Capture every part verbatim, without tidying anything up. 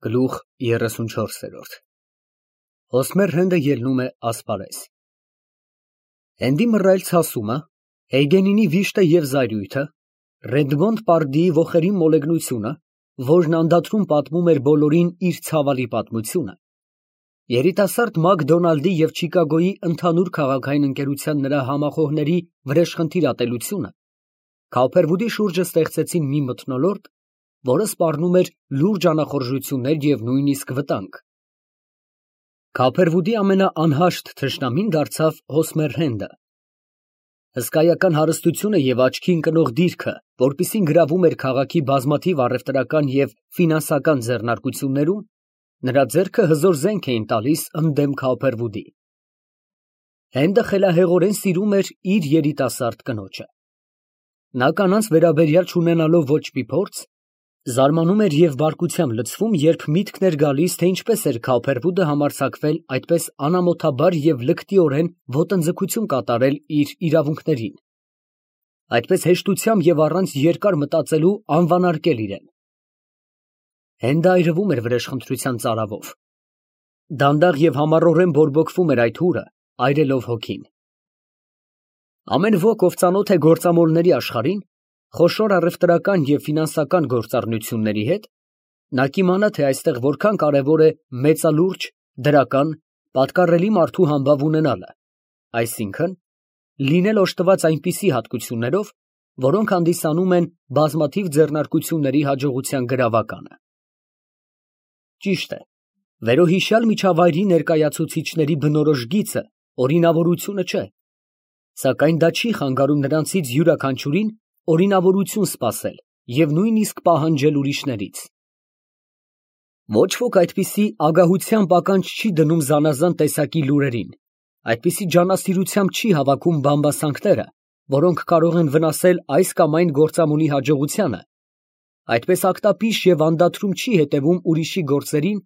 Գլուխ երեսունչորս։ Հոսմեր Հենդը ելնում է ասպարեզ։ Հենդի մռայլ ցասումը, Էյգենինի վիշտը և զայրույթը, Ռեդմոնդ պարդիի ոխերի մոլեգնությունը, որն անդադրում պատմում էր բոլորին իր ցավալի պատմությունը, երիտասարդ Մակդոնալդի և Չիկագոյի ընդհանուր քաղաքային ընկերության նրա համախոհների վրեժխնդիր ատելությունը Քաուփերվուդի շուրջը ստեղծեցին մի մթնոլորտ, որը սպառնում էր լուրջ անախորժություններ և նույնիսկ վտանգ։ Քաուփերվուդի ամենաանհաշտ թշնամին դարձավ Հոսմեր Հենդը։ Հսկայական հարստությունը և աչքի ընկնող դիրքը, որպիսին գրավում էր քաղաքի բազմաթիվ առևտրական և ֆինանսական ձեռնարկություններում, նրա ձեռքը հզոր զենք էին տալիս ընդդեմ Քաուփերվուդի։ Հենդը խելահեղորեն սիրում էր իր երիտասարդ կնոջը։ Նա կանանց վերաբերյալ չունենալով ոչ մի փորձ, զարմանում էր և բարկությամբ լցվում, երբ միտքն էր գալիս, թե ինչպես էր Քաուփերվուդը համարձակվել այդպես անամոթաբար և լկտիորեն ոտնձգություն կատարել իր իրավունքներին, այդպես հեշտությամբ և առանց երկար մտածելու անվանարկել իրեն։ Հենդը այրվում էր վրեժխնդրության ծարավով։ Դանդաղ և համառորեն բորբոքվում էր այդ հուրը, այրելով հոգին։ Ամեն ոք, ով ծանոթ է գործամոլների աշխարհին, խոշոր առևտրական և ֆինանսական գործառնությունների հետ, նա կիմանա, թե այստեղ որքան կարևոր է մեծալուրջ, դրական, պատկառելի մարդու համբավ ունենալը, այսինքն՝ լինել օժտված այնպիսի հատկություններով, որոնք հանդիսանում են բազմաթիվ ձեռնարկությունների հաջողության գրավականը։ Ճիշտ է, վերոհիշյալ միջավայրի ներկայացուցիչների բնորոշ գիծը օրինավորությունը չէ, սակայն դա չի խանգարում նրանցից յուրաքանչյուրին օրինավորություն սպասել և նույնիսկ պահանջել ուրիշներից։ Ոչ ոք այդպիսի ագահությամբ ականջ չի դնում զանազան տեսակի լուրերին, այդպիսի ջանասիրությամբ չի հավաքում բամբասանքները, որոնք կարող են վնասել այս կամ այն գործամոլի հաջողությանը, այդպես ակտապիշ և անդադրում չի հետևում ուրիշի գործերին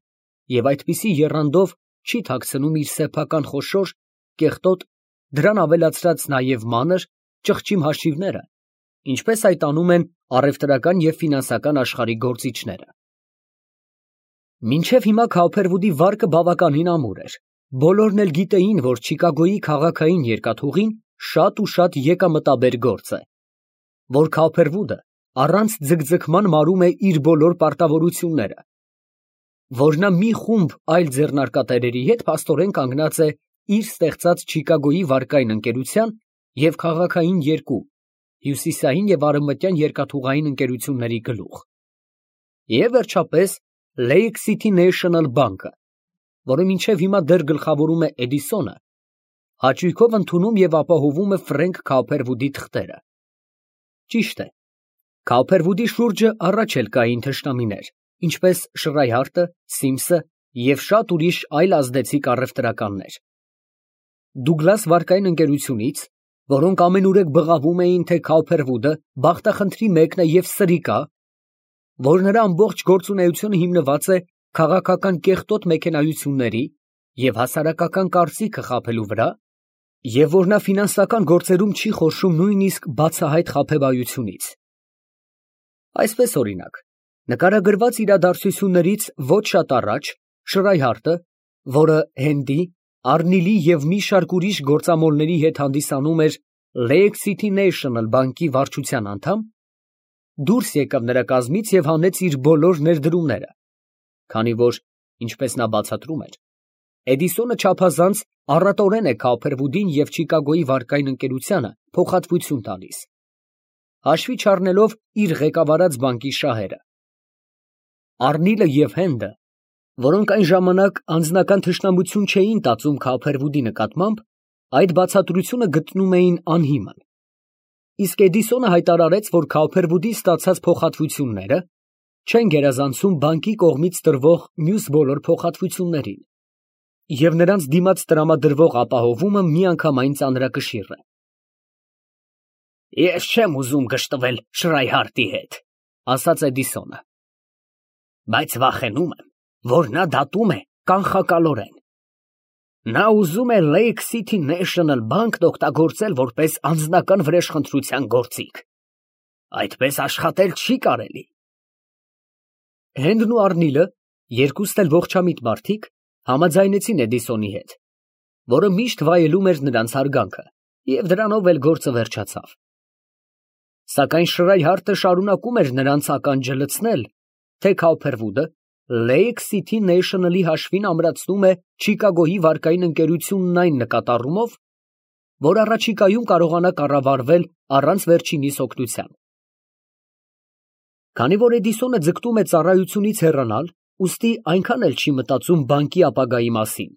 և այդպիսի եռանդով չի թաքցնում իր սեփական խոշոր, կեղտոտ, դրան ավելացրած նաև մանր, ճղճիմ հաշիվները, ինչպես այդ անում են առևտրական և ֆինանսական աշխարհի գործիչները։ Մինչև հիմա Քաուփերվուդի վարկը բավականին ամուր էր, բոլորն էլ գիտեին, որ Չիկագոյի քաղաքային երկաթուղին շատ ու շատ եկամտաբեր գործ է, որ Քաուփերվուդը առանց ձգձգման մարում է իր բոլոր պարտավորությունները, որ նա մի խումբ այլ ձեռնարկատերերի հետ փաստորեն կանգնած է իր ստեղծած Չիկագոյի վարկային ընկերության և քաղաքային երկու՝ հյուսիսային և արևմտյան երկաթուղային ընկերությունների գլուխ, և վերջապես Lake City National բանկը, որը մինչև հիմա դեռ գլխավորում է Էդիսոնը, հաճույքով ընդունում և ապահովում է Ֆրենկ Քաուփերվուդի թղթերը։ Ճիշտ է, Քաուփերվուդի շուրջը առաջ էլ կային թշնամիներ, ինչպես Շրայհարտը, Սիմսը և շատ ուրիշ այլ ազդեցիկ առևտրականներ։ Դուգլաս վարկային ընկերությունից, որոնք ամենուրեք բղավում էին, թե Քաուփերվուդը բախտախնդրի մեկն է և սրիկա, որ նրա ամբողջ գործունեությունը հիմնված է քաղաքական կեղտոտ մեքենայությունների և հասարակական կարծիքը խաբելու վրա, և որ նա ֆինանսական գործերում չի խորշում նույնիսկ բացահայտ խաբեբայությունից։ Այսպես, օրինակ, նկարագրված իրադարձություններից ոչ շատ առաջ Շրայհարտը, որը Հենդի, Արնիլի և մի շարք ուրիշ գործամոլների հետ հանդիսանում էր Lake City National բանկի վարչության անդամ, դուրս եկավ նրա կազմից և հանեց իր բոլոր ներդրումները, քանի որ, ինչպես նա բացատրում էր, Էդիսոնը չափազանց առատորեն է Քաուփերվուդին և Չիկագոյի վարկային ընկերությանը փոխհատվություն տալիս, հաշվի չառնելով իր ղեկավարած բանկի շահերը։ Արնիլը և Հենդը, որոնք այն ժամանակ անձնական թշնամություն չէին տածում Քաուփերվուդի նկատմամբ, այդ բացատրությունը գտնում էին անհիմն, իսկ Էդիսոնը հայտարարեց, որ Քաուփերվուդից ստացած փոխհատվությունները չեն գերազանցում բանկի կողմից տրվող մյուս բոլոր փոխհատվություններին, և նրանց դիմաց տրամադրվող ապահովումը միանգամայն ծանրակշիռ է։ «Ես չեմ ուզում գժտվել Շրայհարտի հետ, ֊ ասաց Էդիսոնը, ֊ բայց վախենում եմ, որ նա դատում է կանխակալորեն։ Նա ուզում է Lake City National բանկն օգտագործել որպես անձնական վրեժխնդրության գործիք։ Այդպես աշխատել չի կարելի»։ Հենդն ու Արնիլը երկուստ էլ ողջամիտ մարդիկ համաձայնեցին Էդիսոնի հետ, որը միշտ վայելում էր նրանց հարգանքը, և դրանով էլ գործը վերջացավ։ Սակայն Շրայհարտը շարունակում էր նրանց ականջը լցնել, թե Քոուփերվուդը Lake City National-ի հաշվին ամրացնում է Չիկագոյի վարկային ընկերությունն այն նկատառումով, որ առաջիկայում կարողանա կառավարվել առանց վերջինիս օգնության։ Քանի որ Էդիսոնը ձգտում է ծառայությունից հեռանալ, ուստի այնքան էլ չի մտածում բանկի ապագայի մասին։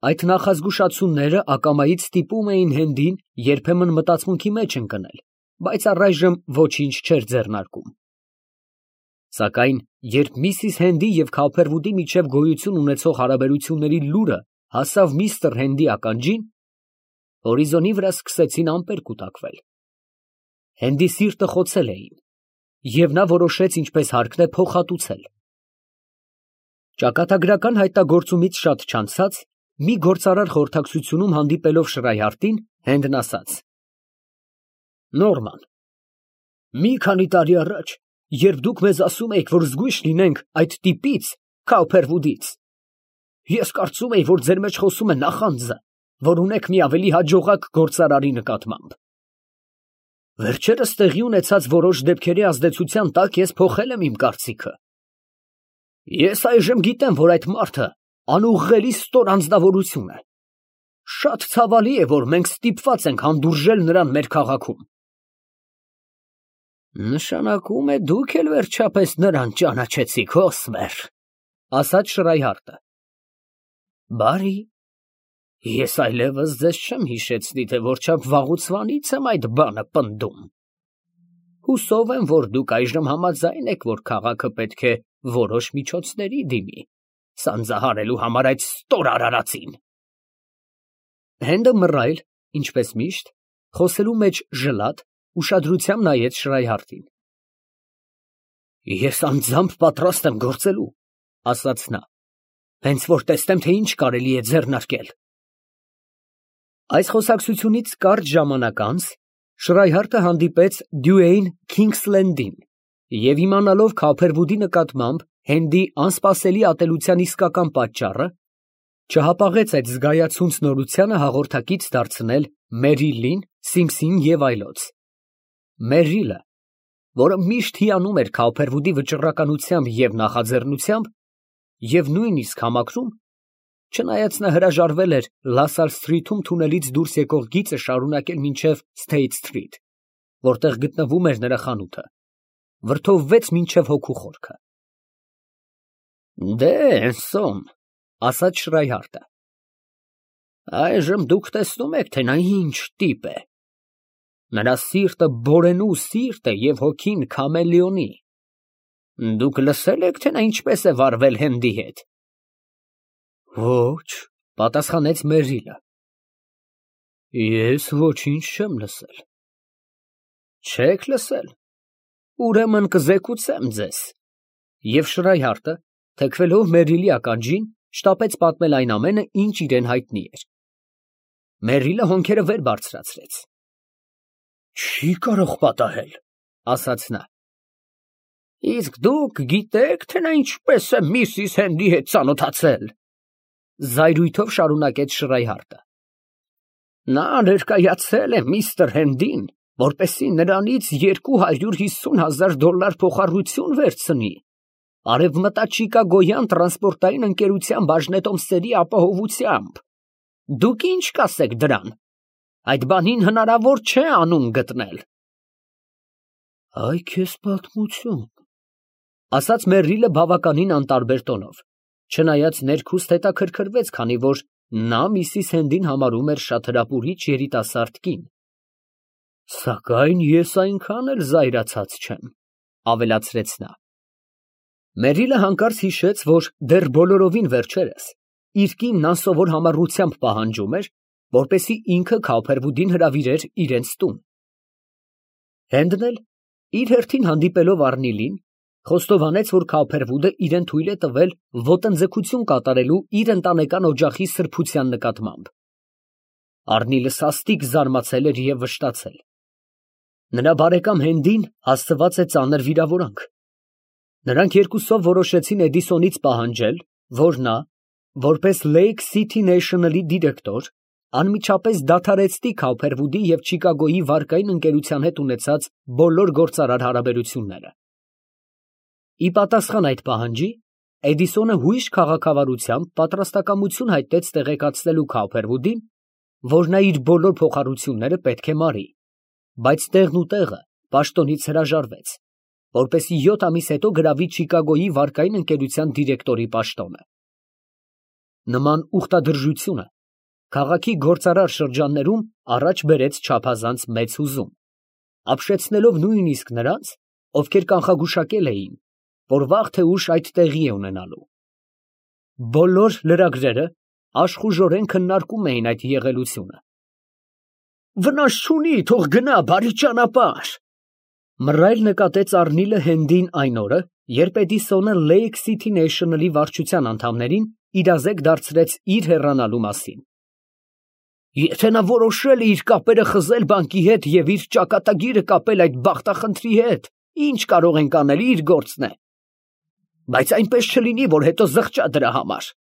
Այդ նախազգուշացումները ակամայից ստիպում էին Հենդին երբեմն մտածմունքի մեջ ընկնել, բայց առայժմ ոչինչ չէր ձեռնարկում։ Սակայն երբ միսիս Հենդի և Քոուփերվուդի միջև գոյություն ունեցող հարաբերությունների լուրը հասավ միստր Հենդի ականջին, հորիզոնի վրա սկսեցին ամպեր կուտակվել։ Հենդի սիրտը խոցել էին, և նա որոշեց ինչպես հարկն է փոխհատուցել։ Ճակատագրական հայտնագործումից շատ չանցած, մի գործարար խորհրդակցությունում հանդիպելով Շրայհարտին, Հենդն ասաց. Նորման, մի քանի տարի առաջ, երբ դուք մեզ ասում էիք, որ զգույշ լինենք այդ տիպից, Քոուփերվուդից, ես կարծում էի, որ ձեր մեջ խոսում է նախանձը, որ ունեք մի ավելի հաջողակ գործարարի նկատմամբ։ Վերջերս տեղի ունեցած որոշ դեպքերի ազդեցության տակ ես փոխել եմ իմ կարծիքը։ Ես այժմ գիտեմ, որ այդ մարդը անուղղելի ստոր անձնավորություն է։ Շատ ցավալի է, որ մենք ստիպված ենք հանդուրժել նրան մեր քաղաքում։ Նշանակում է դուք էլ վերջապես նրան ճանաչեցիք, ոսմեր, ասաց Շրայհարտը։ Բարի, ես այլևս ձեզ չեմ հիշեցնի, թե որչափ վաղուցվանից եմ այդ բանը պնդում։ Հուսով եմ, որ դուք այժմ համաձայն եք, որ քաղաքը պետք է որոշ միջոցների դիմի, սանձահարելու համար այդ ստոր արարածին։ Հենդը մռայլ, ինչպես միշտ, խոսելու մեջ ժլատ, ուշադրությամբ նայեց Շրայհարտին։ Ես անձամբ պատրաստ եմ գործելու, ասաց նա, հենց որ տեսնեմ, թե ինչ կարելի է ձեռնարկել։ Այս խոսակցությունից կարճ ժամանակ անց Շրայհարտը հանդիպեց Դյուեյն Քինգսլենդին և իմանալով Քոուփերվուդի նկատմամբ Հենդի անսպասելի ատելության իսկական պատճառը, չհապաղեց այդ զգայացունց նորությանը հաղորդակից դարձնել Մերիլին, Սիմսին և այլոց։ Մերիլը, որը միշտ հիանում էր Քոուփերվուդի վճռականությամբ և նախաձեռնությամբ և նույնիսկ համակրում, չնայած նա հրաժարվել էր Լասալ Սթրիթում թունելից դուրս եկող գիծը շարունակել մինչև Սթեյթ Սթրիթ, որտեղ գտնվում էր նրա խանութը, վրդովվեց մինչև հոգու խորքը։ Դե, Էնսոն, ասաց Շրայհարտը, այժմ դուք տեսնում եք, թե նա ինչ տիպ է։ Նրա սիրտը բորենու սիրտ է և հոգին քամելեոնի։ Դուք լսե՞լ եք, թե նա ինչպես է վարվել Հենդի հետ։ Ոչ, պատասխանեց Մերիլը։ Ես ոչինչ չեմ լսել։ Չեք լսել։ Ուրեմն կզեկուցեմ ձեզ։ Եվ Շրայհարտը, թեքվելով Մերիլի ականջին, շտապեց պատմել այն ամենը, ինչ իրան հայտնի էր։ Մերիլը հոնքերը վեր բարձրացրեց։ Չի կարող պատահել, ասաց նա։ Իսկ դուք գիտեք, թե նա ինչպես է միսիս Հենդի հետ ծանոթացել, զայրույթով շարունակեց Շրայհարտը։ Նա ներկայացել է միստր Հենդին, որպեսզի նրանից երկու հարյուր հիսուն հազար դոլար փոխառություն վերցնի արևմտաչիկագոյան տրանսպորտային ընկերության բաժնետոմսերի ապահովությամբ։ Դուք ինչ կասեք դրան։ Այդ բանին հնարավոր չէ անուն գտնել։ Այ քեզ պատմություն, ասաց Մերիլը բավականին անտարբեր տոնով, չնայած ներքուստ հետաքրքրվեց, քանի որ նա միսիս Հենդին համարում էր շատ հրապուրիչ երիտասարդ կին։ Սակայն ես այնքան էլ զայրացած չեմ, ավելացրեց նա։ Մերիլը հանկարծ հիշեց, որ դեռ բոլորովին վերջերս իր կինն անսովոր համառությամբ պահանջում էր, որպեսզի ինքը Քոուփերվուդին հրավիրեր իրենց տուն։ Հենդն էլ, իր հերթին հանդիպելով Առնիլին, խոստովանեց, որ Քոուփերվուդը իրեն թույլ է տվել ոտնձգություն կատարելու իր ընտանեկան օջախի սրբության նկատմամբ։ Առնիլը սաստիկ զարմացել էր և վշտացել։ Նրա բարեկամ Հենդին հասցված է ծանր վիրավորանք։ Նրանք երկուսով որոշեցին Էդիսոնից պահանջել, որ նա, որպես Lake City National-ի դիրեկտոր, անմիջապես դադարեցնի Քոփերվուդի և Չիկագոյի վարկային ընկերության հետ ունեցած բոլոր գործարար հարաբերությունները։ Ի պատասխան այդ պահանջի, Էդիսոնը հույժ քաղաքավարությամբ պատրաստակամություն հայտնեց տեղեկացնելու Քոփերվուդին, որ նա իր բոլոր փոխառությունները պետք է մարի, բայց տեղն ու տեղը պաշտոնից հրաժարվեց, որպեսզի յոթ ամիս հետո գրավի Չիկագոյի վարկային ընկերության դիրեկտորի պաշտոնը։ Նման ուխտադրժությունը քաղաքի գործարար շրջաններում առաջ բերեց չափազանց մեծ հուզում, ապշեցնելով նույնիսկ նրանց, ովքեր կանխագուշակել էին, որ վաղ թե ուշ այդ տեղի է ունենալու։ Բոլոր լրագրերը աշխուժորեն քննարկում էին այդ եղելությունը։ «Վնաս չունի, թող գնա բարի ճանապարհ», մռայլ նկատեց Առնիլը Հենդին այն օրը, երբ Էդիսոնը Lake City National-ի վարչության անդամներին իրազեկ դարձրեց իր հեռանալու մասին։ «Եթե նա որոշել է իր կապերը խզել բանկի հետ և իր ճակատագիրը կապել այդ բախտախնդրի հետ, ինչ կարող ենք անել, իր գործն է, բայց այնպես չլինի, որ հետո զղջա դրա համար»։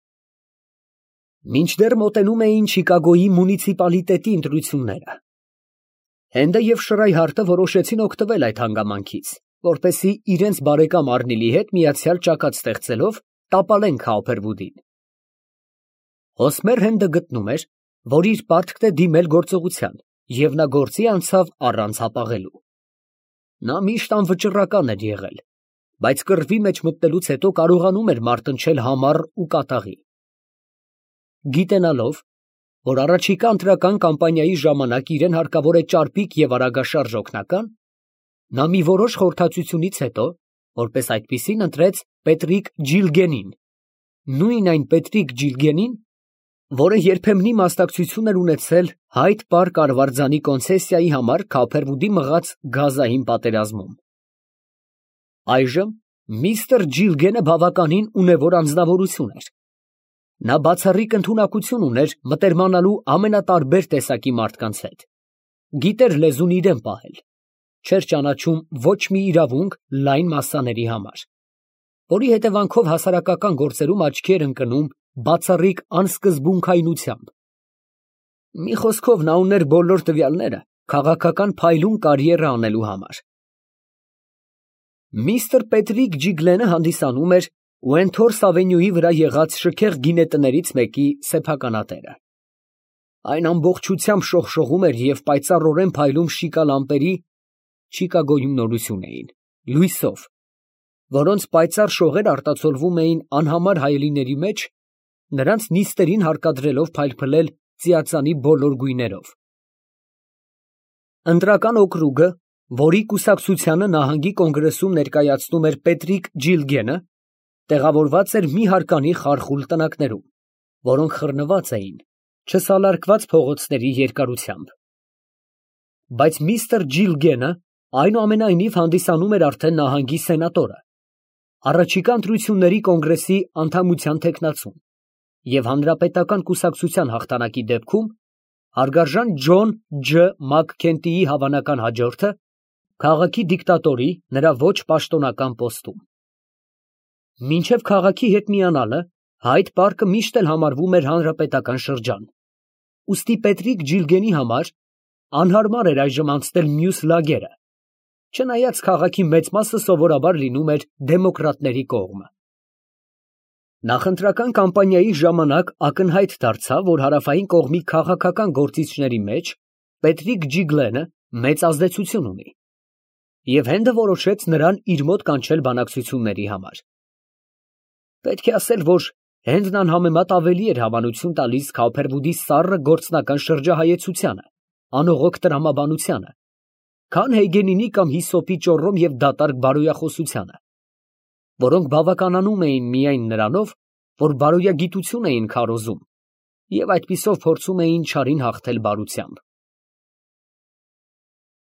Մինչդեռ մոտենում էին Չիկագոյի մունիցիպալիտետի ընտրությունները, Հենդը և Շրայհարտը որոշեցին օգտվել այդ հանգամանքից, որպեսզի իրենց բարեկամ Առնիլի հետ միացյալ ճակատ ստեղծելով տապալեն Քոփերվուդին։ Հոսմեր Հենդը գտնում էր, որ իր պարտքն է դիմել գործողության, և նա գործի անցավ առանց հապաղելու։ Նա միշտ անվճռական էր եղել, բայց կռվի մեջ մտնելուց հետո կարողանում էր մարտնչել համառ ու կատաղի։ Գիտենալով, որ առաջիկա ընտրական կամպանիայի ժամանակ իրեն հարկավոր է ճարպիկ և արագաշարժ օգնական, նա մի որոշ խորհրդածությունից հետո, որպես այդպիսին ընտրեց Պետրիկ Ջիլգենին, նույն այն Պետրիկ Ջիլգենին, որը երբեմնի մասնակցություն էր ունեցել Հայդ Պարկ արվարձանի կոնցեսիայի համար Քոփերվուդի մղած գազային պատերազմում։ Այժմ միստր Ջիլգենը բավականին ունևոր անձնավորություն էր։ Նա բացառիկ ընդունակություն ուներ մտերմանալու ամենատարբեր տեսակի մարդկանց հետ, գիտեր լեզուն իրեն պահել, չէր ճանաչում ոչ մի իրավունք լայն մասսաների համար, որի հետևանքով հասարակական գործերում աչքի էր ընկնում բացառիկ անսկզբունքայնությամբ։ Մի խոսքով նա ուներ բոլոր տվյալները քաղաքական փայլուն կարիերա անելու համար։ Միստր Պետրիկ Ջիգլենը հանդիսանում էր Ուենթորս ավենյուի վրա եղած շքեղ գինետներից մեկի սեփականատերը։ Այն ամբողջությամբ շողշողում էր և պայծառորեն փայլում շիկա լամպերի (Չիկագոյում նորություն էին) լույսով, որոնց պայծառ շողեր արտացոլվում էին անհամար հայելիների մեջ, նրանց նիստերին հարկադրելով փայլփլել ծիածանի բոլոր գույներով։ Ընտրական օկրուգը, որի կուսակցությանը նահանգի կոնգրեսում ներկայացնում էր Պետրիկ Ջիլգենը, տեղավորված էր մի հարկանի խարխուլ տնակներում, որոնք խռնված էին չսալարկված փողոցների երկարությամբ։ Բայց միստր Ջիլգենը այնուամենայնիվ հանդիսանում էր արդեն նահանգի սենատորը, առաջիկա ընտրությունների կոնգրեսի անդամության թեկնածուն և հանրապետական կուսակցության հաղթանակի դեպքում հարգարժան Ջոն Ջ. Մաքքենթիի հավանական հաջորդը քաղաքի դիկտատորի նրա ոչ պաշտոնական պոստում։ Մինչև քաղաքի հետ միանալը Հայդ Պարկը միշտ էլ համարվում էր հանրապետական շրջան, ուստի Պետրիկ Ջիլգենի համար անհարմար էր այժմ անցնել մյուս լագերը, չնայած քաղաքի մեծ մասը սովորաբար լինում էր դեմոկրատների կողմը։ Նախընտրական կամպանիայի ժամանակ ակնհայտ դարձավ, որ հարավային կողմի քաղաքական գործիչների մեջ Պետրիկ Ջիգլենը մեծ ազդեցություն ունի, և Հենդը որոշեց նրան իր մոտ կանչել բանակցությունների համար։ Պետք է ասել, որ Հենդն անհամեմատ ավելի էր հավանություն տալիս Քոփերվուդի սառը գործնական շրջահայեցությանը, անողոք տրամաբանությանը, քան Հեյգենինի կամ Հիսոպի ճոռոմ և դատարկ բարոյախոսությանը, որոնք բավականանում էին միայն նրանով, որ բարոյագիտություն էին քարոզում և այդպիսով փորձում էին չարին հաղթել բարությամբ։